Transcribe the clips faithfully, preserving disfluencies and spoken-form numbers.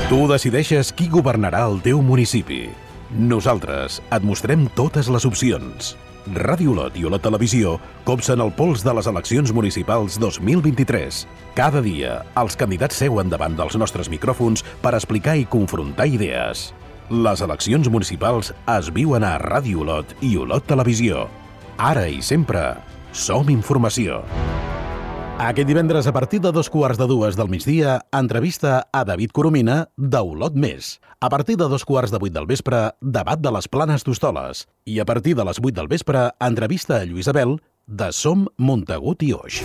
Tu decideixes qui governarà el teu municipi. Nosaltres et mostrem totes les opcions. Ràdio Olot i Olot Televisió copsen el pols de les eleccions municipals dos mil vint-i-tres. Cada dia, els candidats seuen davant dels nostres micròfons per explicar i confrontar idees. Les eleccions municipals es viuen a Ràdio Olot i Olot Televisió. Ara i sempre, som informació. Aquest divendres, a partir de dos quarts de dues del migdia, entrevista a David Coromina d'Olot Més. A partir de dos quarts de vuit del vespre, debat de les Planes d'Hostoles. I a partir de les vuit del vespre, entrevista a Lluís Abel de Som Montagut i Oix.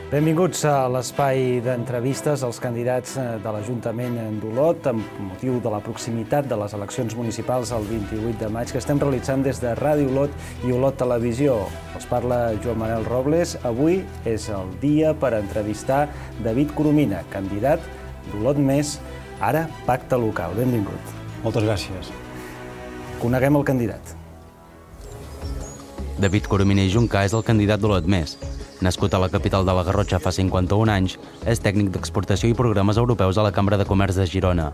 Benvinguts a l'espai d'entrevistes als candidats de l'Ajuntament d'Olot amb motiu de la proximitat de les eleccions municipals el vint-i-vuit de maig que estem realitzant des de Ràdio Olot i Olot Televisió. Els parla Joan Manel Robles. Avui és el dia per entrevistar David Coromina, candidat d'Olot Més, ara Pacte Local. Benvingut. Moltes gràcies. Coneguem el candidat. David Coromina i Juncà és el candidat d'Olot Més. Nascut a la capital de la Garrotxa fa cinquanta-un anys, és tècnic d'exportació i programes europeus a la Cambra de Comerç de Girona.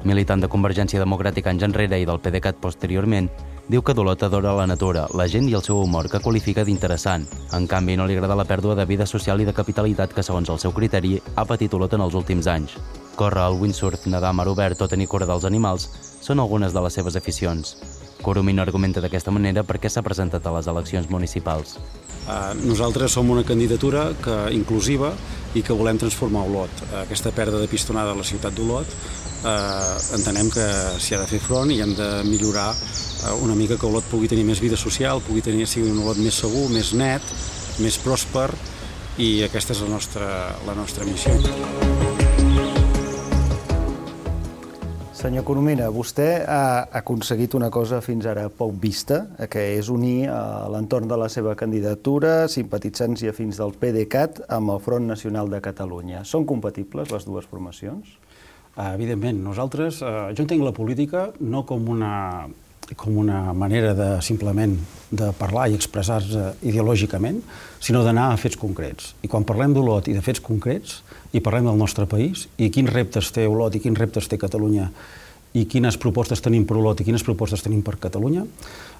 Militant de Convergència Democràtica anys enrere i del PDeCAT posteriorment, diu que d'Olot adora la natura, la gent i el seu humor, que qualifica d'interessant. En canvi, no li agrada la pèrdua de vida social i de capitalitat que, segons el seu criteri, ha patit Olot en els últims anys. Córrer, el windsurf, nedar a mar obert o tenir cura dels animals són algunes de les seves aficions. Coromina argumenta d'aquesta manera per què s'ha presentat a les eleccions municipals. Uh, nosaltres som una candidatura que, inclusiva i que volem transformar Olot. Uh, aquesta pèrdua de pistonada a la ciutat d'Olot uh, entenem que s'hi ha de fer front i hem de millorar uh, una mica que Olot pugui tenir més vida social, pugui tenir sigui un Olot més segur, més net, més pròsper, i aquesta és la nostra, la nostra missió. Senyor Coromina, vostè ha aconseguit una cosa fins ara poc vista, que és unir a l'entorn de la seva candidatura simpatitzants i afins del PDeCAT amb el Front Nacional de Catalunya. Són compatibles les dues formacions? Evidentment, nosaltres, eh, jo entenc la política no com una, com una manera de simplement de parlar i expressar-se ideològicament, sinó d'anar a fets concrets. I quan parlem d'Olot i de fets concrets, i parlem del nostre país, i quins reptes té Olot i quins reptes té Catalunya, i quines propostes tenim per Olot i quines propostes tenim per Catalunya,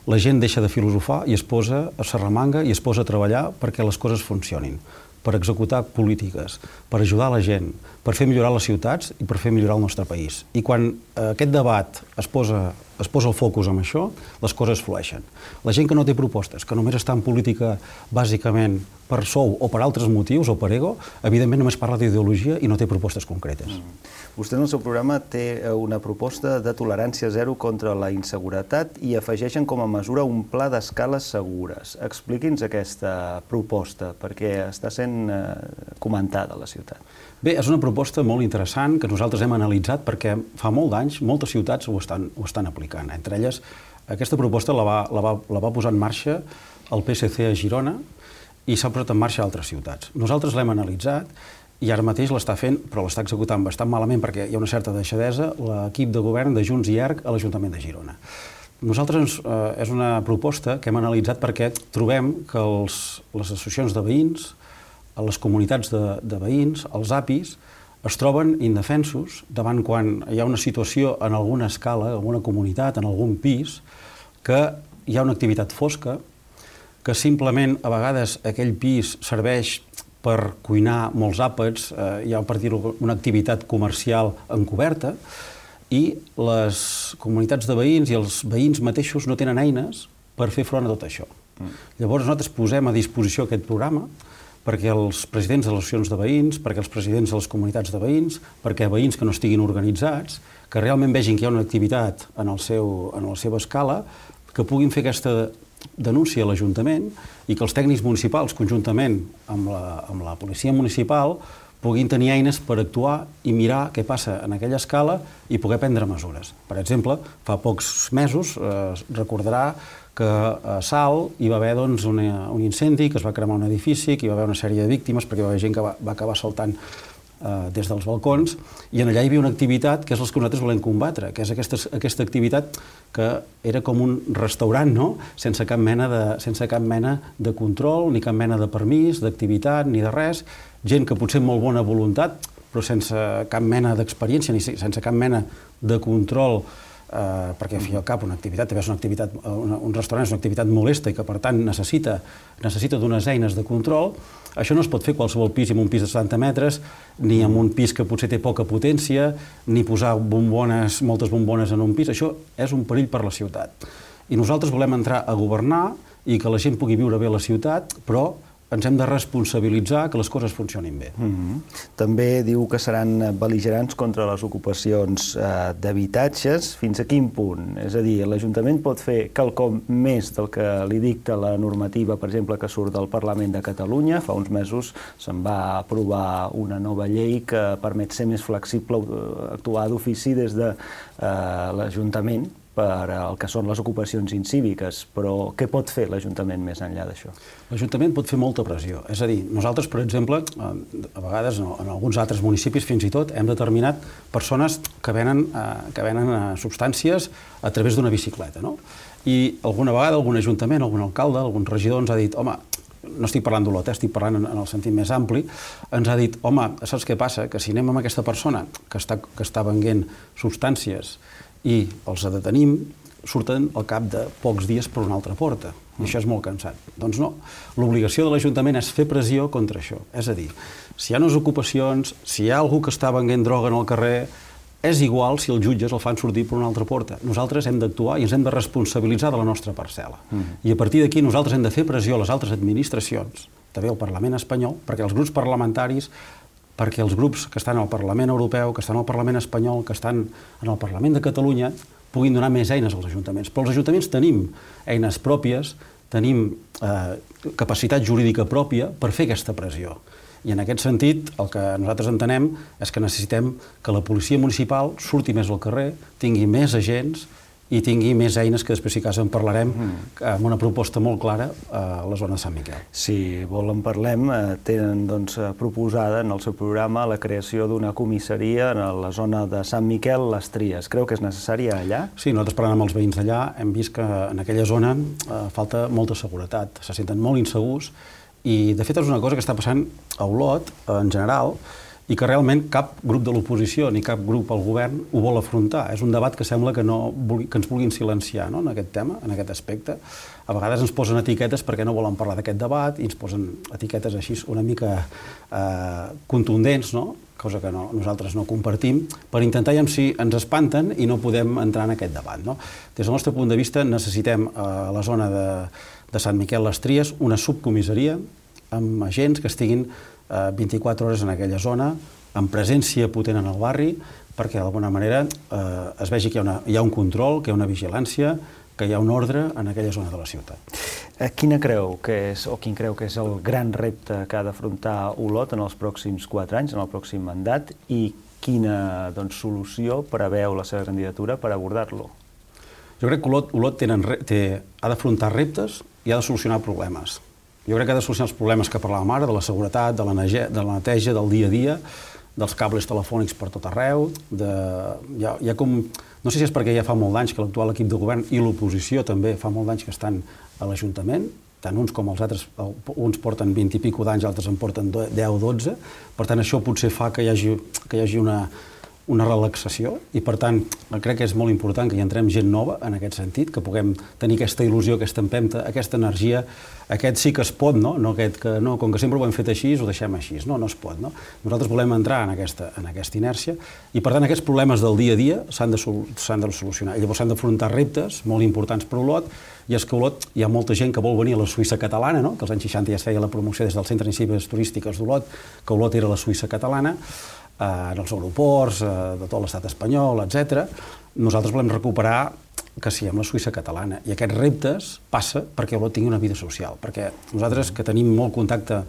la gent deixa de filosofar i es posa a s'arremanga i es posa a treballar perquè les coses funcionin, per executar polítiques, per ajudar la gent, per fer millorar les ciutats i per fer millorar el nostre país. I quan aquest debat es posa, es posa el focus en això, les coses flueixen. La gent que no té propostes, que només està en política bàsicament per sou o per altres motius o per ego, evidentment només parla d'ideologia i no té propostes concretes. Mm. Vostè en el seu programa té una proposta de tolerància zero contra la inseguretat i afegeixen com a mesura un pla d'escales segures. Expliqui'ns aquesta proposta, perquè està sent comentada a la ciutat. Bé, és una proposta molt interessant que nosaltres hem analitzat perquè fa molt d'anys moltes ciutats ho estan, ho estan aplicant. Entre elles, aquesta proposta la va, la va, la va posar en marxa el P S C a Girona i s'ha posat en marxa a altres ciutats. Nosaltres l'hem analitzat i ara mateix l'està fent, però l'està executant bastant malament perquè hi ha una certa deixadesa, l'equip de govern de Junts i E R C a l'Ajuntament de Girona. Nosaltres eh, és una proposta que hem analitzat perquè trobem que els, les associacions de veïns, les comunitats de, de veïns, els A P Is, es troben indefensos davant quan hi ha una situació en alguna escala, en alguna comunitat, en algun pis, que hi ha una activitat fosca, que simplement a vegades aquell pis serveix per cuinar molts àpats, eh, hi ha per dir-ho una activitat comercial encoberta, i les comunitats de veïns i els veïns mateixos no tenen eines per fer front a tot això. Mm. Llavors nosaltres posem a disposició aquest programa perquè els presidents de les associacions de veïns, perquè els presidents de les comunitats de veïns, perquè veïns que no estiguin organitzats, que realment vegin que hi ha una activitat en, el seu, en la seva escala, que puguin fer aquesta denúncia a l'Ajuntament i que els tècnics municipals, conjuntament amb la, amb la policia municipal, puguin tenir eines per actuar i mirar què passa en aquella escala i poder prendre mesures. Per exemple, fa pocs mesos eh, recordarà que a Salt hi va haver doncs, una, un incendi, que es va cremar un edifici, que hi va haver una sèrie de víctimes perquè hi va haver gent que va, va acabar saltant eh, des dels balcons, i en allà hi havia una activitat que és la que nosaltres volem combatre, que és aquesta, aquesta activitat que era com un restaurant, no? sense, cap mena de, sense cap mena de control, ni cap mena de permís, d'activitat, ni de res, gent que potser amb molt bona voluntat, però sense cap mena d'experiència, ni sense cap mena de control, eh, perquè al fi i al cap una activitat, també és una activitat, una, un restaurant és una activitat molesta i que per tant necessita, necessita d'unes eines de control. Això no es pot fer qualsevol pis, amb un pis de setanta metres, ni amb un pis que potser té poca potència, ni posar bombones, moltes bombones en un pis. Això és un perill per la ciutat. I nosaltres volem entrar a governar i que la gent pugui viure bé a la ciutat, però ens hem de responsabilitzar que les coses funcionin bé. Mm-hmm. També diu que seran bel·ligerants contra les ocupacions eh, d'habitatges. Fins a quin punt? És a dir, l'Ajuntament pot fer quelcom més del que li dicta la normativa, per exemple, que surt del Parlament de Catalunya. Fa uns mesos se'n va aprovar una nova llei que permet ser més flexible, actuar d'ofici des de eh, l'Ajuntament per el que són les ocupacions incíviques, però què pot fer l'Ajuntament més enllà d'això? L'Ajuntament pot fer molta pressió. És a dir, nosaltres, per exemple, a vegades en alguns altres municipis fins i tot, hem determinat persones que venen, que venen substàncies a través d'una bicicleta, no? I alguna vegada algun ajuntament, algun alcalde, algun regidor ens ha dit, home, no estic parlant d'Olot, eh? estic parlant en el sentit més ampli, ens ha dit, home, saps què passa? Que si anem amb aquesta persona que està, que està venent substàncies i els detenim, surten al cap de pocs dies per una altra porta. I això és molt cansat. Doncs no. L'obligació de l'Ajuntament és fer pressió contra això. És a dir, si hi ha unes ocupacions, si hi ha algú que està venent droga en el carrer, és igual si els jutges el fan sortir per una altra porta. Nosaltres hem d'actuar i ens hem de responsabilitzar de la nostra parcel·la. Mm. I a partir d'aquí nosaltres hem de fer pressió a les altres administracions, també al Parlament espanyol, perquè els grups parlamentaris, perquè els grups que estan al Parlament Europeu, que estan al Parlament espanyol, que estan en el Parlament de Catalunya, puguin donar més eines als ajuntaments. Però els ajuntaments tenim eines pròpies, tenim eh, capacitat jurídica pròpia per fer aquesta pressió. I en aquest sentit, el que nosaltres entenem és que necessitem que la policia municipal surti més al carrer, tingui més agents i tingui més eines, que després, si cas, en parlarem, amb una proposta molt clara a la zona de Sant Miquel. Si vol en parlem, tenen doncs, proposada en el seu programa la creació d'una comissaria a la zona de Sant Miquel, les Tries. Creu que és necessària allà? Sí, nosaltres parlant amb els veïns d'allà hem vist que en aquella zona eh, falta molta seguretat, se senten molt insegurs i, de fet, és una cosa que està passant a Olot, en general, i que realment cap grup de l'oposició ni cap grup al govern ho vol afrontar. És un debat que sembla que, no vulgui, que ens vulguin silenciar, no?, en aquest tema, en aquest aspecte. A vegades ens posen etiquetes perquè no volen parlar d'aquest debat i ens posen etiquetes així una mica eh, contundents, no?, cosa que no, nosaltres no compartim, per intentar ja si ens espanten i no podem entrar en aquest debat, no? Des del nostre punt de vista necessitem a la zona de, de Sant Miquel les Tries una subcomissaria amb agents que estiguin vint-i-quatre hores en aquella zona, amb presència potent en el barri, perquè d'alguna manera eh, es vegi que hi ha, una, hi ha un control, que hi ha una vigilància, que hi ha un ordre en aquella zona de la ciutat. Quina creu que és, o quin creu que és el gran repte que ha d'afrontar Olot en els pròxims quatre anys, en el pròxim mandat, i quina doncs, solució preveu la seva candidatura per abordar-lo? Jo crec que Olot, Olot tenen, té, ha d'afrontar reptes i ha de solucionar problemes. Jo crec que ha de solucionar els problemes que parlàvem ara, de la seguretat, de la, nege, de la neteja, del dia a dia, dels cables telefònics per tot arreu, de, hi ha, hi ha com, no sé si és perquè ja fa molt d'anys que l'actual equip de govern i l'oposició també fa molt d'anys que estan a l'Ajuntament, tant uns com els altres, uns porten vint i pico d'anys, altres en porten deu o dotze, per tant això potser fa que hi hagi, que hi hagi una, una relaxació i per tant crec que és molt important que hi entrem gent nova en aquest sentit, que puguem tenir aquesta il·lusió, aquesta empenta, aquesta energia, aquest sí que es pot, no? No aquest que no, com que sempre ho hem fet així, ho deixem així. No, no es pot, no? Nosaltres volem entrar en aquesta, en aquesta inèrcia i per tant aquests problemes del dia a dia s'han de, s'han de solucionar. I llavors s'han d'afrontar reptes molt importants per Olot, i és que a Olot hi ha molta gent que vol venir a la Suïssa catalana, no? Que als anys seixanta ja es feia la promoció des del Centre d'Iniciatives Turístiques d'Olot, que Olot era la Suïssa catalana, en els aeroports, de tot l'estat espanyol, etcètera. Nosaltres volem recuperar que siguem la Suïssa catalana. I aquests reptes passa perquè Olot tingui una vida social. Perquè nosaltres, que tenim molt contacte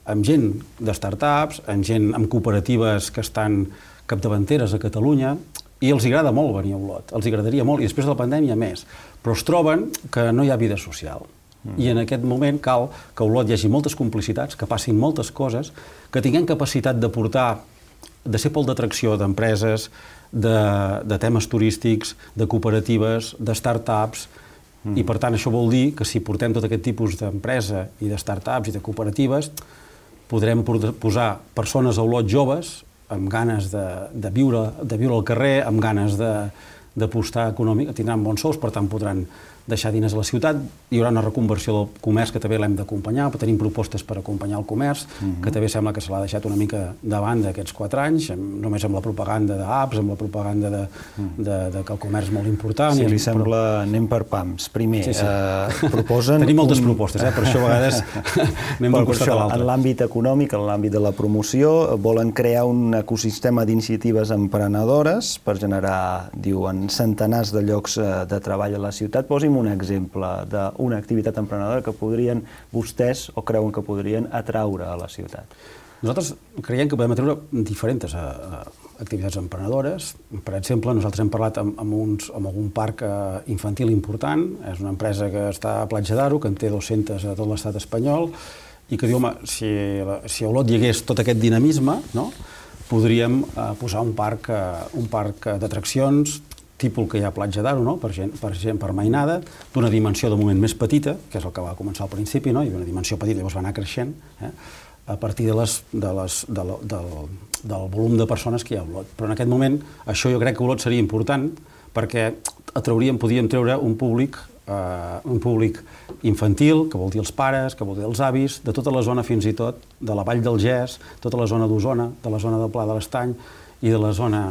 amb gent de start-ups, amb gent amb cooperatives que estan capdavanteres a Catalunya, i els agrada molt venir a Olot, els agradaria molt, i després de la pandèmia més, però es troben que no hi ha vida social. Mm. I en aquest moment cal que a Olot hi hagi moltes complicitats, que passin moltes coses, que tinguem capacitat de portar, de ser pol d'atracció d'empreses, de, de temes turístics, de cooperatives, de start-ups, mm. i per tant això vol dir que si portem tot aquest tipus d'empresa i de start-ups i de cooperatives, podrem posar persones a Olot joves amb ganes de, de, viure, de viure al carrer, amb ganes d'apostar econòmic, tindran bons sous, per tant podran deixar diners a la ciutat, hi haurà una reconversió del comerç que també l'hem d'acompanyar, tenim propostes per acompanyar el comerç, uh-huh. que també sembla que se l'ha deixat una mica de banda aquests quatre anys, només amb la propaganda d'apps, amb la propaganda de, uh-huh. de, de que el comerç és molt important. Si li sembla, però... anem per pams. Primer, sí, sí. Eh, proposen... Tenim moltes un... propostes, eh? Per això a vegades anem d'un costat a l'altre. En l'àmbit econòmic, en l'àmbit de la promoció, volen crear un ecosistema d'iniciatives emprenedores per generar, diuen, centenars de llocs de treball a la ciutat. Posi'm un exemple d'una activitat emprenedora que podrien vostès o creuen que podrien atraure a la ciutat. Nosaltres creiem que podem atreure diferents uh, activitats emprenedores. Per exemple, nosaltres hem parlat amb, amb, uns, amb algun parc uh, infantil important. És una empresa que està a Platja d'Aro, que en té dues-centes a tot l'estat espanyol, i que diu, home, si, si a Olot hi hagués tot aquest dinamisme, no? podríem uh, posar un parc, uh, un parc d'atraccions tipus que hi ha a Platja d'Aro, no? per, gent, per gent per mainada, d'una dimensió de moment més petita, que és el que va començar al principi, no? Hi havia una dimensió petita, llavors va anar creixent, eh? a partir de les, de les, de la, del, del volum de persones que hi ha a Olot. Però en aquest moment, això jo crec que a Olot seria important, perquè atrauríem, podíem treure un públic, eh, un públic infantil, que vol dir els pares, que vol dir els avis, de tota la zona fins i tot, de la Vall del Gès, tota la zona d'Osona, de la zona del Pla de l'Estany i de la zona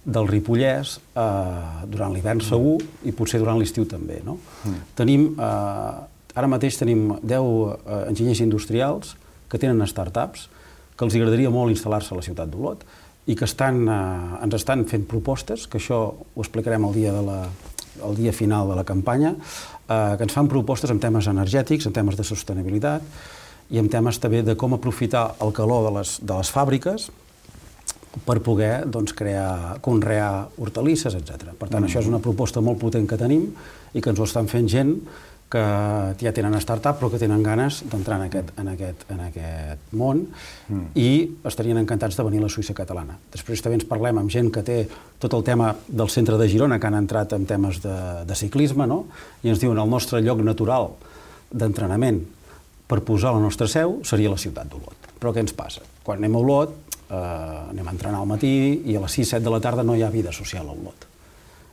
del Ripollès, eh, durant l'hivern segur i potser durant l'estiu també. No? Mm. Tenim, eh, ara mateix tenim deu eh, enginyers industrials que tenen start-ups, que els agradaria molt instal·lar-se a la ciutat d'Olot i que estan, eh, ens estan fent propostes, que això ho explicarem el dia, de la, el dia final de la campanya, eh, que ens fan propostes en temes energètics, en temes de sostenibilitat i en temes també de com aprofitar el calor de les, de les fàbriques per poder doncs, crear, conrear hortalisses, etcètera. Per tant, mm. això és una proposta molt potent que tenim i que ens ho estan fent gent que ja tenen start-up però que tenen ganes d'entrar en, aquest, en, aquest, en aquest món mm. i estarien encantats de venir a la Suïssa catalana. Després també ens parlem amb gent que té tot el tema del centre de Girona, que han entrat en temes de, de ciclisme, no? I ens diuen el nostre lloc natural d'entrenament per posar la nostra seu seria la ciutat d'Olot. Però què ens passa? Quan anem a Olot, Uh, anem a entrenar al matí i a les sis set de la tarda no hi ha vida social a Olot.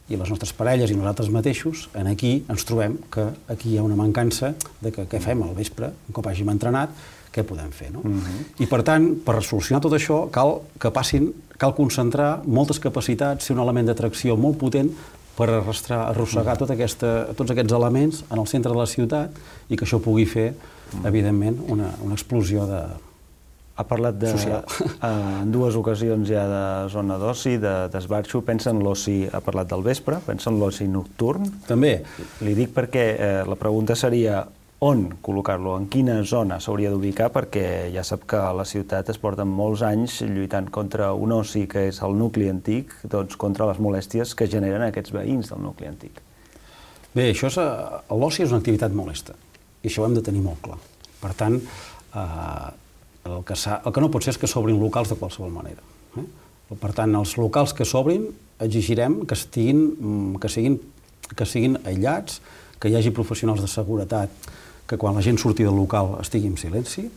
I les nostres parelles i nosaltres mateixos, en aquí ens trobem que aquí hi ha una mancança de que què fem al vespre, un cop hàgim entrenat, què podem fer, no? Uh-huh. I per tant, per solucionar tot això, cal que passin, cal concentrar moltes capacitats, ser un element d'atracció molt potent per arrastrar, arrossegar tot aquesta, tots aquests elements en el centre de la ciutat i que això pugui fer, evidentment, una, una explosió de Ha parlat de, en dues ocasions ja de zona d'oci, d'esbarxo. Pensa en l'oci, ha parlat del vespre, pensa en l'oci nocturn. També. Li dic perquè eh, la pregunta seria on col·locar-lo, en quina zona s'hauria d'ubicar, perquè ja sap que a la ciutat es porten molts anys lluitant contra un oci que és el nucli antic, doncs contra les molèsties que generen aquests veïns del nucli antic. Bé, això és, l'oci és una activitat molesta, i això ho hem de tenir molt clar. Per tant, eh, El que, el que no pot ser és que s'obrin locals de qualsevol manera. Eh? Per tant, els locals que s'obrin exigirem que, estiguin, que, siguin, que siguin aïllats, que hi hagi professionals de seguretat, que quan la gent surti del local estigui en silenci,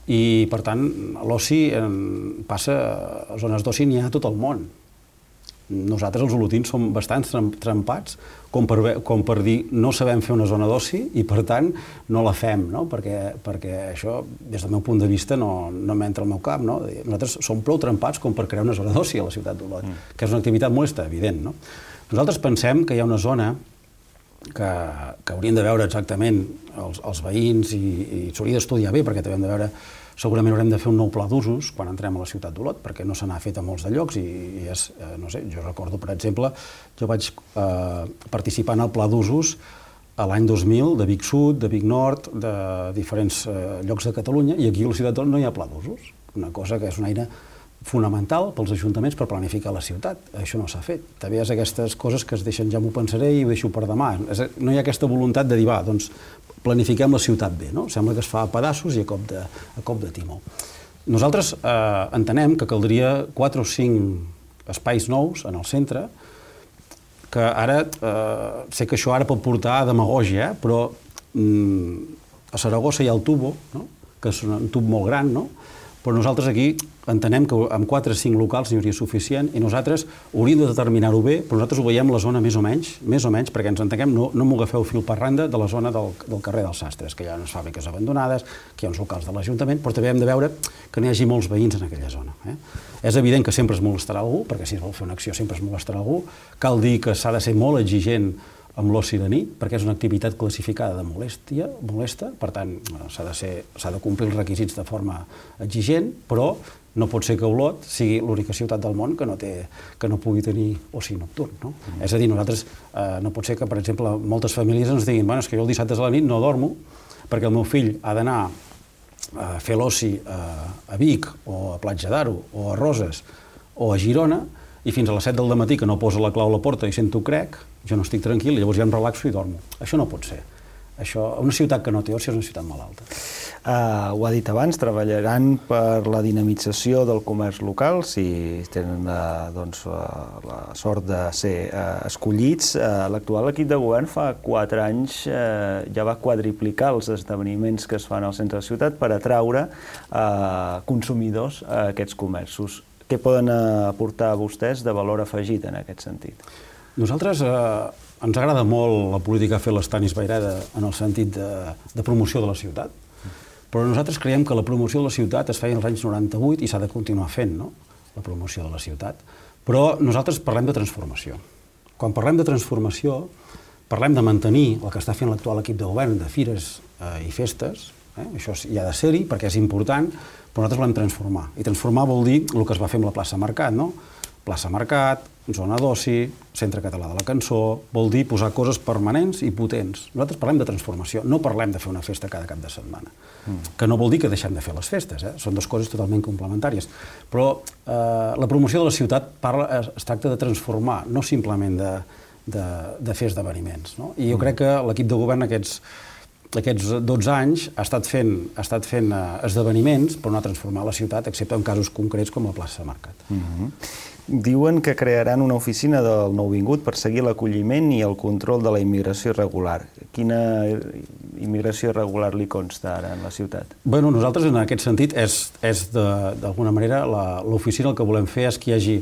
i per tant l'oci passa a zones d'oci n'hi ha a tot el món. Nosaltres, els olotins, som bastant trempats com per, com per dir no sabem fer una zona d'oci i, per tant, no la fem, no? Perquè, perquè això, des del meu punt de vista, no, no m'entra al meu cap. No? Nosaltres som prou trempats com per crear una zona d'oci a la ciutat d'Olot, mm. que és una activitat molesta, evident. No? Nosaltres pensem que hi ha una zona que, que haurien de veure exactament els, els veïns i, i s'hauria d'estudiar bé, perquè també hem de veure. Segurament haurem de fer un nou pla d'usos quan entrem a la ciutat d'Olot, perquè no se n'ha fet a molts de llocs i, i és, eh, no sé, jo recordo, per exemple, jo vaig eh, participar en el pla d'usos a l'any dos mil de Vic Sud, de Vic Nord, de diferents llocs de Catalunya, i aquí a la ciutat no hi ha pla d'usos, una cosa que és una eina fonamental pels ajuntaments per planificar la ciutat. Això no s'ha fet. També és aquestes coses que es deixen, ja m'ho pensaré i ho deixo per demà. No hi ha aquesta voluntat de dir, va, doncs planifiquem la ciutat bé, no? Sembla que es fa a pedaços i a cop de, a cop de timó. Nosaltres eh, entenem que caldria quatre o cinc espais nous en el centre, que ara, eh, sé que això ara pot portar a demagògia, eh, però mm, a Saragossa hi ha el Tubo, no? Que és un tub molt gran, no? Però nosaltres aquí entenem que amb quatre o cinc locals n'hi hauria suficient i nosaltres hauríem de determinar-ho bé, però nosaltres ho veiem la zona més o menys, més o menys, perquè ens entenguem, no, no m'ho agafeu fil per randa de la zona del, del carrer dels Sastres, que hi ha unes fàbriques abandonades, que hi ha uns locals de l'Ajuntament, però també hem de veure que n'hi hagi molts veïns en aquella zona. Eh? És evident que sempre es molestarà algú, perquè si es vol fer una acció sempre es molestarà algú. Cal dir que s'ha de ser molt exigent amb l'oci de nit, perquè és una activitat classificada de molèstia, molesta, per tant, s'ha de ser, s'ha de complir els requisits de forma exigent, però no pot ser que Olot sigui l'única ciutat del món que no, té, que no pugui tenir oci nocturn. No? Mm. És a dir, nosaltres eh, no pot ser que, per exemple, moltes famílies ens diguin bueno, és que jo el dissabte a la nit no dormo perquè el meu fill ha d'anar a fer l'oci a, a Vic o a Platja d'Aro o a Roses o a Girona i fins a les set del matí que no posa la clau a la porta i sento crec, jo no estic tranquil, i llavors ja em relaxo i dormo. Això no pot ser. Això, una ciutat que no té oci és una ciutat malalta. Uh, ho ha dit abans, treballaran per la dinamització del comerç local, si tenen uh, doncs, uh, la sort de ser uh, escollits. Uh, L'actual equip de govern fa quatre anys uh, ja va quadriplicar els esdeveniments que es fan al centre de la ciutat per atraure uh, consumidors a aquests comerços. Què poden aportar vostès de valor afegit en aquest sentit? Nosaltres eh, ens agrada molt la política que ha fet l'Estanis Vayreda en el sentit de, de promoció de la ciutat, però nosaltres creiem que la promoció de la ciutat es feia als anys noranta-vuit i s'ha de continuar fent, no? La promoció de la ciutat. Però nosaltres parlem de transformació. Quan parlem de transformació, parlem de mantenir el que està fent l'actual equip de govern de fires eh, i festes, eh? Això hi ha de ser-hi perquè és important, però nosaltres volem transformar. I transformar vol dir el que es va fer amb la plaça Mercat, no? Plaça Mercat, zona d'oci, Centre Català de la Cançó, vol dir posar coses permanents i potents. Nosaltres parlem de transformació, no parlem de fer una festa cada cap de setmana. Mm. Que no vol dir que deixem de fer les festes, eh? Són dues coses totalment complementàries. Però eh, la promoció de la ciutat parla, es, es tracta de transformar, no simplement de, de, de fer esdeveniments. No? I jo mm. crec que l'equip de govern aquests aquests dotze anys ha estat fent, ha estat fent uh, esdeveniments per no transformar la ciutat, excepte en casos concrets com la plaça Mercat. Mm-hmm. Diuen que crearan una oficina del nouvingut per seguir l'acolliment i el control de la immigració irregular. Quina immigració irregular li consta ara en la ciutat? Bueno, nosaltres en aquest sentit és, és d'alguna manera l'oficina el que volem fer és que hi hagi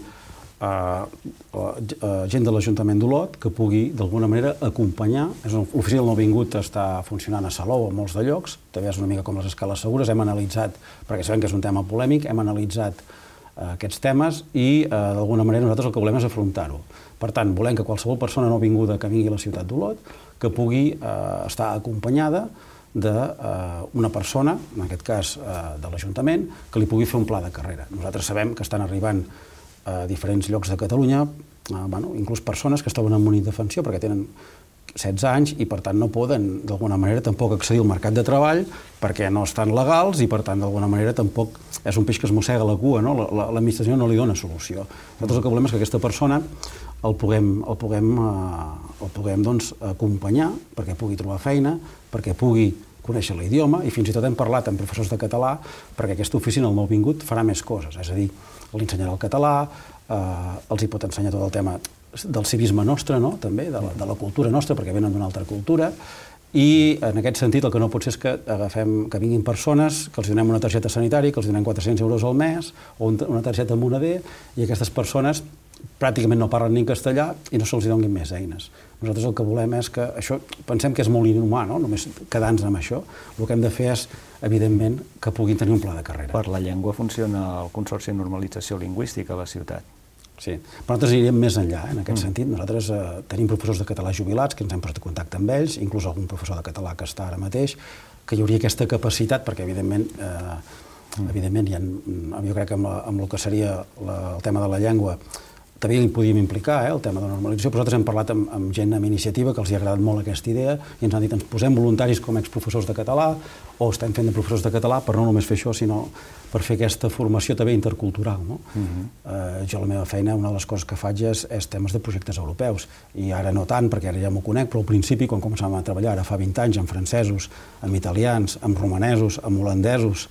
Uh, uh, gent de l'Ajuntament d'Olot que pugui d'alguna manera acompanyar. L'oficina del nouvingut està funcionant a Salou, a molts de llocs, també és una mica com les escales segures, hem analitzat, perquè sabem que és un tema polèmic, hem analitzat uh, aquests temes i uh, d'alguna manera nosaltres el que volem és afrontar-ho. Per tant, volem que qualsevol persona nouvinguda que vingui a la ciutat d'Olot que pugui uh, estar acompanyada d'una persona, en aquest cas uh, de l'Ajuntament, que li pugui fer un pla de carrera. Nosaltres sabem que estan arribant a diferents llocs de Catalunya, eh, bueno, inclús persones que es troben en una indefensió perquè tenen setze anys i per tant no poden d'alguna manera tampoc accedir al mercat de treball perquè no estan legals i per tant d'alguna manera tampoc és un peix que es mossega la cua, no? L'administració no li dona solució. Nosaltres el que volem és que aquesta persona el puguem, el puguem, eh, el puguem doncs, acompanyar perquè pugui trobar feina, perquè pugui conèixer l'idioma i fins i tot hem parlat amb professors de català perquè aquesta oficina, el nouvingut, farà més coses, és a dir, li ensenyarà el català, eh, els hi pot ensenyar tot el tema del civisme nostre, no? També, de la, de la cultura nostra, perquè venen d'una altra cultura, i en aquest sentit el que no pot ser és que agafem, que vinguin persones, que els donem una targeta sanitària, que els donem quatre-cents euros al mes, o una targeta moneder, i aquestes persones pràcticament no parlen ni en castellà i no se'ls donin més eines. Nosaltres el que volem és que això, pensem que és molt inhumà, no? Només quedar-nos amb això. El que hem de fer és, evidentment, que puguin tenir un pla de carrera. Per la llengua funciona el Consorci de Normalització Lingüística a la ciutat. Sí, però nosaltres anirem més enllà, eh, en aquest mm. sentit. Nosaltres eh, tenim professors de català jubilats que ens hem posat en contacte amb ells, inclús algun professor de català que està ara mateix, que hi hauria aquesta capacitat, perquè evidentment, eh, mm. evidentment hi ha, jo crec que amb, la, amb el que seria la, el tema de la llengua també hi podíem implicar, eh, el tema de la normalització, però nosaltres hem parlat amb, amb gent amb iniciativa que els hi ha agradat molt aquesta idea i ens han dit ens posem voluntaris com a exprofessors de català o estem fent de professors de català per no només fer això, sinó per fer aquesta formació també intercultural. No? Uh-huh. eh, jo la meva feina, una de les coses que faig és, és temes de projectes europeus i ara no tant, perquè ara ja m'ho conec, però al principi, quan començàvem a treballar, ara fa vint anys, amb francesos, amb italians, amb romanesos, amb holandesos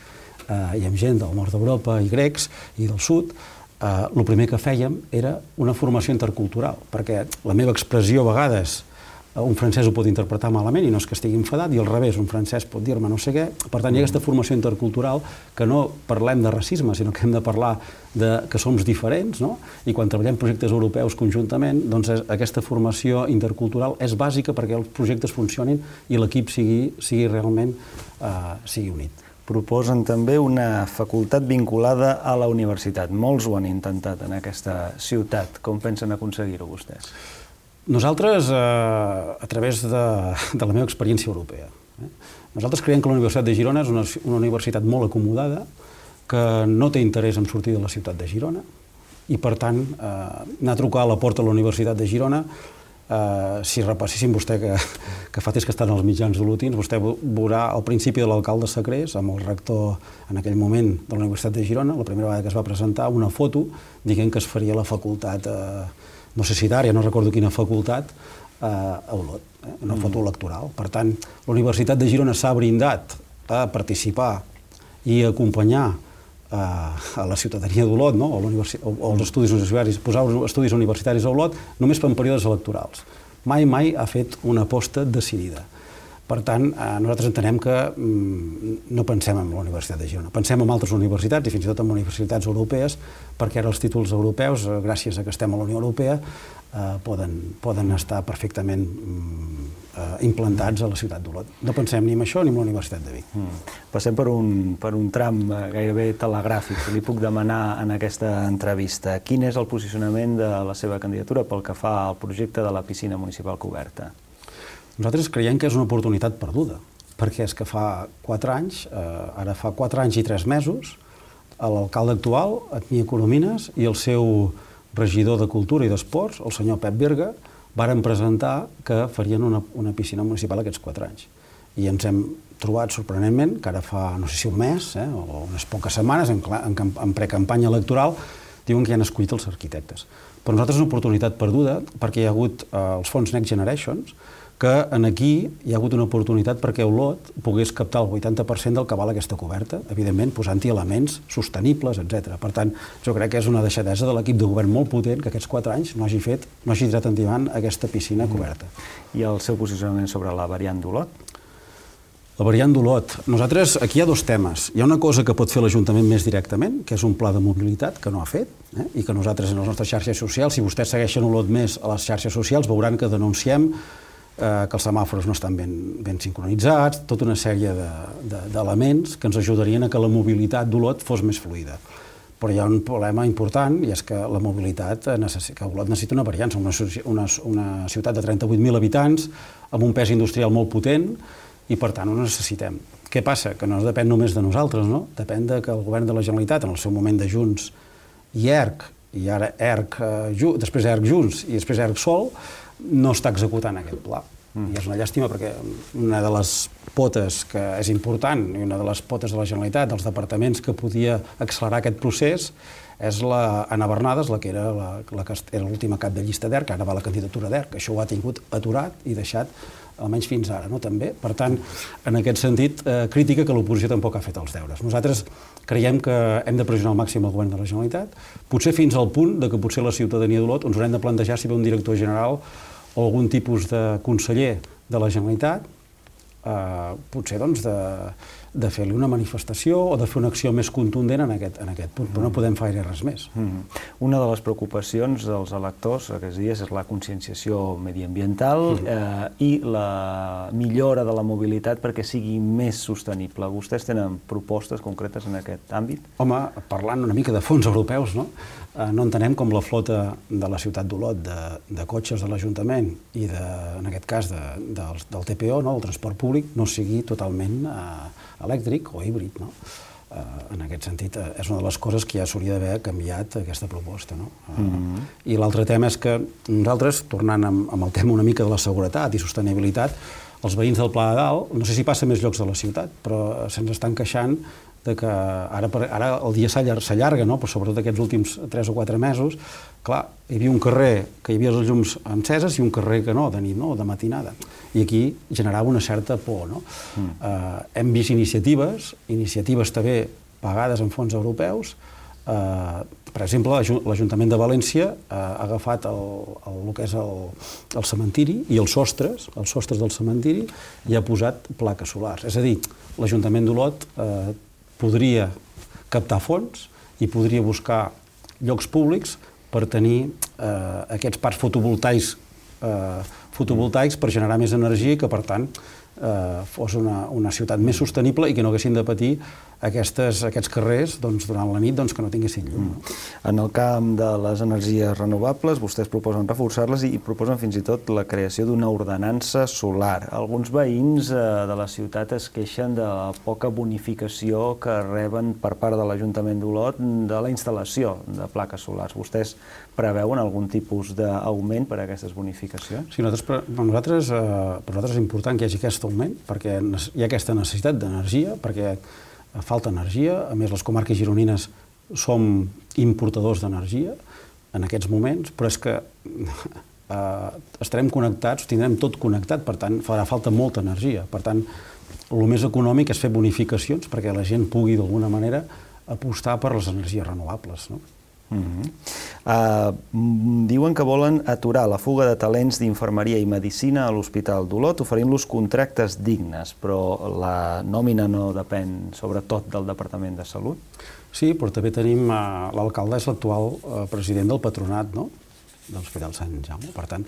eh, i amb gent del nord d'Europa i grecs i del sud, Uh, el primer que fèiem era una formació intercultural, perquè la meva expressió a vegades uh, un francès ho pot interpretar malament i no és que estigui enfadat, i al revés, un francès pot dir-me no sé què. Per tant, hi ha aquesta formació intercultural que no parlem de racisme, sinó que hem de parlar de que som diferents, no? I quan treballem projectes europeus conjuntament, doncs és, aquesta formació intercultural és bàsica perquè els projectes funcionin i l'equip sigui, sigui realment uh, sigui unit. Proposen també una facultat vinculada a la universitat. Molts ho han intentat en aquesta ciutat. Com pensen aconseguir-ho vostès? Nosaltres, eh, a través de, de la meva experiència europea, eh, nosaltres creiem que la Universitat de Girona és una, una universitat molt acomodada, que no té interès en sortir de la ciutat de Girona, i per tant, eh, anar a trucar a la porta de la Universitat de Girona. Uh, si repasséssim vostè, que, que fa temps que estan als mitjans olotins, vostè veurà al principi de l'alcalde Sacrés, amb el rector en aquell moment de la Universitat de Girona, la primera vegada que es va presentar, una foto dient que es faria la facultat, uh, no sé si d'àrea, no recordo quina facultat, uh, a Olot, eh? Una mm. foto electoral. Per tant, la Universitat de Girona s'ha brindat a participar i a acompanyar a la ciutadania d'Olot, no? o, o els estudis universitaris, posar els estudis universitaris a Olot només per períodes electorals. Mai, mai ha fet una aposta decidida. Per tant, nosaltres entenem que no pensem en la Universitat de Girona, pensem en altres universitats i fins i tot en universitats europees, perquè ara els títols europeus, gràcies a que estem a la Unió Europea, poden, poden estar perfectament implantats a la ciutat d'Olot. No pensem ni en això ni en la Universitat de Vic. Mm. Passem per un, per un tram gairebé telegràfic. Li puc demanar en aquesta entrevista quin és el posicionament de la seva candidatura pel que fa al projecte de la piscina municipal coberta? Nosaltres creiem que és una oportunitat perduda, perquè és que fa quatre anys, eh, ara fa quatre anys i tres mesos, l'alcalde actual, Etnia Coromines, i el seu regidor de Cultura i d'Esports, el senyor Pep Berga, varen presentar que farien una, una piscina municipal aquests quatre anys. I ens hem trobat sorprenentment que ara fa, no sé si un mes, eh, o unes poques setmanes, en, en, en precampanya electoral, diuen que ja han escollit els arquitectes. Per nosaltres és una oportunitat perduda perquè hi ha hagut eh, els fons Next Generations, que en aquí hi ha hagut una oportunitat perquè Olot pogués captar el vuitanta per cent del que val aquesta coberta, evidentment posant-hi elements sostenibles, etcètera. Per tant, jo crec que és una deixadesa de l'equip de govern molt potent que aquests quatre anys no hagi fet, no hagi tirat endavant aquesta piscina coberta. I el seu posicionament sobre la variant d'Olot? La variant d'Olot. Nosaltres, aquí hi ha dos temes. Hi ha una cosa que pot fer l'Ajuntament més directament, que és un pla de mobilitat que no ha fet, eh? i que nosaltres en les nostres xarxes socials, si vostès segueixen Olot més a les xarxes socials, veuran que denunciem eh, que els semàfors no estan ben, ben sincronitzats, tota una sèrie d'elements de, de, que ens ajudarien a que la mobilitat d'Olot fos més fluida. Però hi ha un problema important, i és que la mobilitat, necess... que Olot necessita una variant. Som una, una, una ciutat de trenta-vuit mil habitants, amb un pes industrial molt potent, i per tant ho necessitem. Què passa? Que no depèn només de nosaltres, no? Depèn de que el govern de la Generalitat, en el seu moment de Junts i E R C, i ara E R C, eh, després E R C Junts i després E R C Sol, no està executant aquest pla. Mm. I és una llàstima perquè una de les potes que és important i una de les potes de la Generalitat, dels departaments que podia accelerar aquest procés, és la Anna Bernades, la que era la, la que era l'última cap de llista d'E R C, ara va la candidatura d'E R C, això ho ha tingut aturat i deixat almenys fins ara, no? També. Per tant, en aquest sentit, eh, crítica que l'oposició tampoc ha fet els deures. Nosaltres creiem que hem de pressionar al màxim el govern de la Generalitat, potser fins al punt de que potser la ciutadania d'Olot ens haurem de plantejar si ve un director general o algun tipus de conseller de la Generalitat, eh, potser doncs de, de fer-li una manifestació o de fer una acció més contundent en aquest, en aquest punt, però no podem fer res més. Mm. Una de les preocupacions dels electors aquests dies és la conscienciació mediambiental mm. eh, i la millora de la mobilitat perquè sigui més sostenible. Vostès tenen propostes concretes en aquest àmbit? Home, parlant una mica de fons europeus, no? Eh, no entenem com la flota de la ciutat d'Olot, de, de cotxes de l'Ajuntament i, de, en aquest cas, de, de, del T P O, no? Del transport públic, no sigui totalment eh, elèctric o híbrid, no? En aquest sentit, és una de les coses que ja s'hauria d'haver canviat aquesta proposta. I l'altre tema és que nosaltres, tornant amb el tema una mica de la seguretat i sostenibilitat, els veïns del Pla de Dalt, no sé si passa a més llocs de la ciutat, però se'ns estan queixant que ara el dia s'allarga, però sobretot aquests últims tres o quatre mesos, clar, hi havia un carrer que hi havia les llums enceses i un carrer que no, de nit, de matinada. I aquí generava una certa por. Hem vist iniciatives, iniciatives també pagades amb fons europeus. Per exemple, l'Ajuntament de València ha agafat el que és el cementiri i els sostres, els sostres del cementiri, i ha posat plaques solars. És a dir, l'Ajuntament d'Olot podria captar fons i podria buscar llocs públics per tenir aquests parcs fotovoltaics fotovoltaics per generar més energia i que, per tant, fos una ciutat més sostenible i que no haguessin de patir aquests carrers durant la nit que no tinguessin llum. En el camp de les energies renovables, vostès proposen reforçar-les i proposen fins i tot la creació d'una ordenança solar. Alguns veïns de la ciutat es queixen de la poca bonificació que reben per part de l'Ajuntament d'Olot de la instal·lació de plaques solars. Vostès preveuen algun tipus d'augment per a aquestes bonificacions? Sí, per nosaltres és important que hi hagi aquest augment perquè hi ha aquesta necessitat d'energia, perquè falta energia. A més, les comarques gironines som importadors d'energia en aquests moments, però és que estarem connectats, tindrem tot connectat, per tant, farà falta molta energia. Per tant, el més econòmic és fer bonificacions perquè la gent pugui, d'alguna manera, apostar per les energies renovables. Diuen que volen aturar la fuga de talents d'infermeria i medicina a l'Hospital d'Olot, oferint-los contractes dignes, però la nòmina no depèn sobretot del Departament de Salut? Sí, però també tenim l'alcalde, és l'actual president del patronat, no?, de l'Hospital Sant Jaume. Per tant,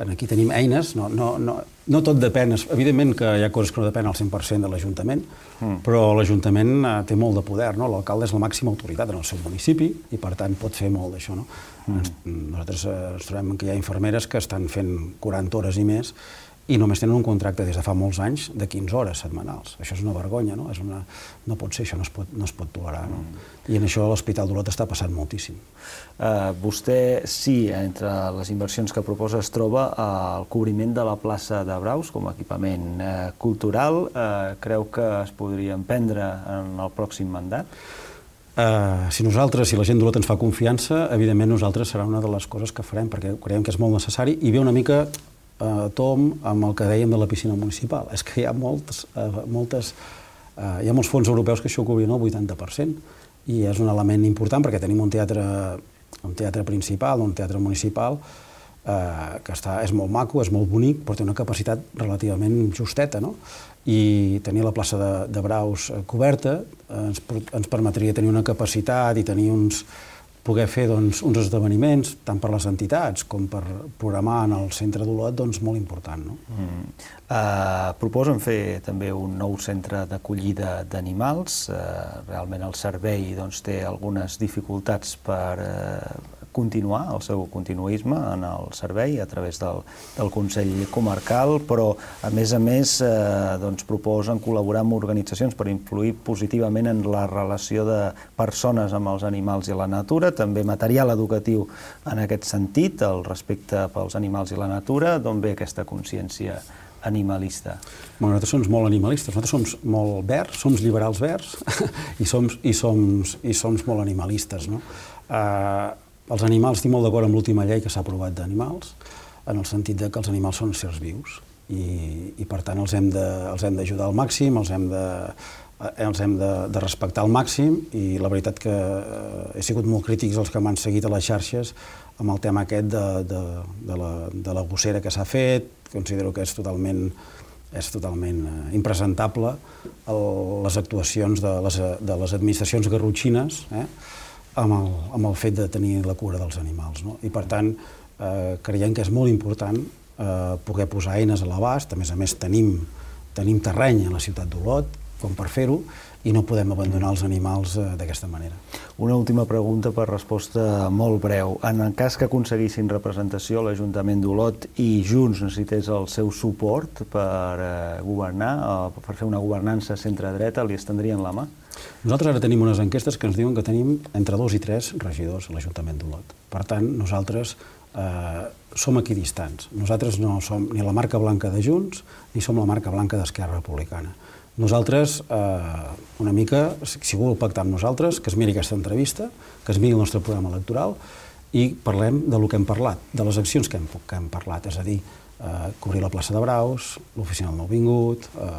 aquí tenim eines, no tot depèn, evidentment que hi ha coses que no depèn al cent per cent de l'Ajuntament, però l'Ajuntament té molt de poder, l'alcalde és la màxima autoritat en el seu municipi i per tant pot fer molt d'això. Nosaltres ens trobem que hi ha infermeres que estan fent quaranta hores i més i només tenen un contracte des de fa molts anys de quinze hores setmanals. Això és una vergonya, no? No pot ser, això no es pot tolerar. I en això l'Hospital d'Olot està passant moltíssim. Vostè, sí, entre les inversions que proposa es troba el cobriment de la plaça de Braus com a equipament cultural. Creu que es podrien prendre en el pròxim mandat? Si nosaltres, si la gent d'Olot ens fa confiança, evidentment nosaltres serà una de les coses que farem, perquè creiem que és molt necessari i ve una mica a tom amb el que dèiem de la piscina municipal. És que hi ha molts fons europeus que això ho cobrien el vuitanta per cent i és un element important perquè tenim un teatre principal, un teatre municipal que és molt maco, és molt bonic, però té una capacitat relativament justeta, i tenir la plaça de Braus coberta ens permetria tenir una capacitat i tenir uns poder fer uns esdeveniments, tant per les entitats com per programar en el centre d'Olot, doncs molt important. Proposen fer també un nou centre d'acollida d'animals. Realment el servei té algunes dificultats per continuar el seu continuisme en el servei a través del Consell Comarcal, però a més a més proposen col·laborar amb organitzacions per influir positivament en la relació de persones amb els animals i la natura, també material educatiu en aquest sentit, el respecte pels animals i la natura. D'on ve aquesta consciència animalista? Nosaltres som molt animalistes, nosaltres som molt verds, som liberals verds i som molt animalistes. Els animals, estic molt d'acord amb l'última llei que s'ha aprovat d'animals, en el sentit que els animals són éssers vius i per tant els hem d'ajudar al màxim, els hem de respectar al màxim i la veritat que he sigut molt crítics els que m'han seguit a les xarxes amb el tema aquest de la gossera que s'ha fet. Considero que és totalment és totalment impresentable les actuacions de les administracions garrotxines amb el fet de tenir la cura dels animals. I per tant, creiem que és molt important poder posar eines a l'abast. A més a més, tenim terreny a la ciutat d'Olot com per fer-ho, i no podem abandonar els animals eh, d'aquesta manera. Una última pregunta per resposta molt breu. En el cas que aconseguissin representació a l'Ajuntament d'Olot i Junts necessités el seu suport per eh, governar, eh, per fer una governança centre-dreta, li estendrien la mà? Nosaltres ara tenim unes enquestes que ens diuen que tenim entre dos i tres regidors a l'Ajuntament d'Olot. Per tant, nosaltres eh, som equidistants. Nosaltres no som ni la marca blanca de Junts ni som la marca blanca d'Esquerra Republicana. Nosaltres, eh, una mica, si voleu pactar amb nosaltres, que es miri aquesta entrevista, que es miri el nostre programa electoral i parlem de lo que hem parlat, de les accions que hem, que hem parlat, és a dir, eh, cobrir la plaça de Braus, l'oficina del nouvingut, eh,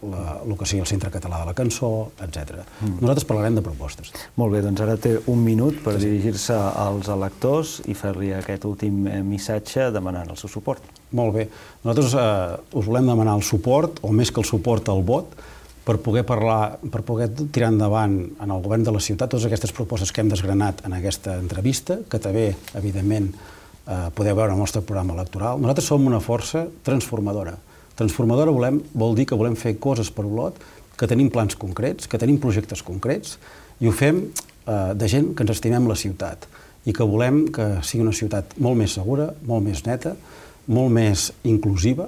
la, el que sigui el Centre Català de la Cançó, etcètera. Mm. Nosaltres parlarem de propostes. Molt bé, doncs ara té un minut per sí. dirigir-se als electors i fer-li aquest últim missatge demanant el seu suport. Molt bé. Nosaltres eh, us volem demanar el suport, o més que el suport, el vot, per poder parlar, per poder tirar endavant en el govern de la ciutat totes aquestes propostes que hem desgranat en aquesta entrevista, que també, evidentment, eh, podeu veure el nostre programa electoral. Nosaltres som una força transformadora. Transformadora volem, vol dir que volem fer coses per Olot, que tenim plans concrets, que tenim projectes concrets, i ho fem eh, de gent que ens estimem la ciutat i que volem que sigui una ciutat molt més segura, molt més neta, molt més inclusiva,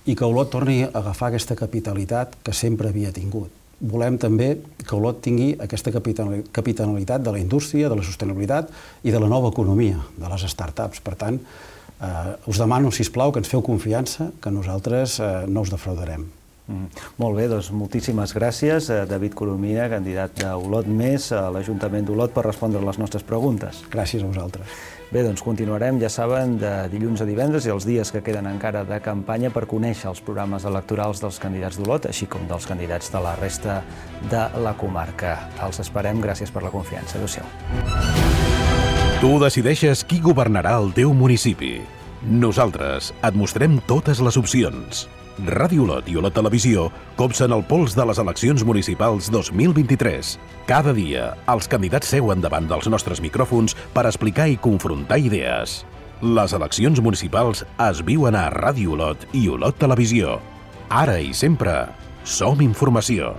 i que Olot torni a agafar aquesta capitalitat que sempre havia tingut. Volem també que Olot tingui aquesta capitalitat de la indústria, de la sostenibilitat i de la nova economia, de les start-ups. Per tant, eh, us demano, sisplau, que ens feu confiança, que nosaltres eh, no us defraudarem. Mm. Molt bé, doncs moltíssimes gràcies a David Coromina, candidat d'Olot Més a l'Ajuntament d'Olot, per respondre a les nostres preguntes. Gràcies a vosaltres. Bé, doncs continuarem, ja saben, de dilluns a divendres i els dies que queden encara de campanya per conèixer els programes electorals dels candidats d'Olot, així com dels candidats de la resta de la comarca. Els esperem, gràcies per la confiança. Adéu-siau. Tu decideixes qui governarà el teu municipi. Nosaltres et mostrem totes les opcions. Ràdio Olot i Olot Televisió copsen el pols de les eleccions municipals dos mil vint-i-tres. Cada dia, els candidats seuen davant dels nostres micròfons per explicar i confrontar idees. Les eleccions municipals es viuen a Ràdio Olot i Olot Televisió. Ara i sempre, som informació.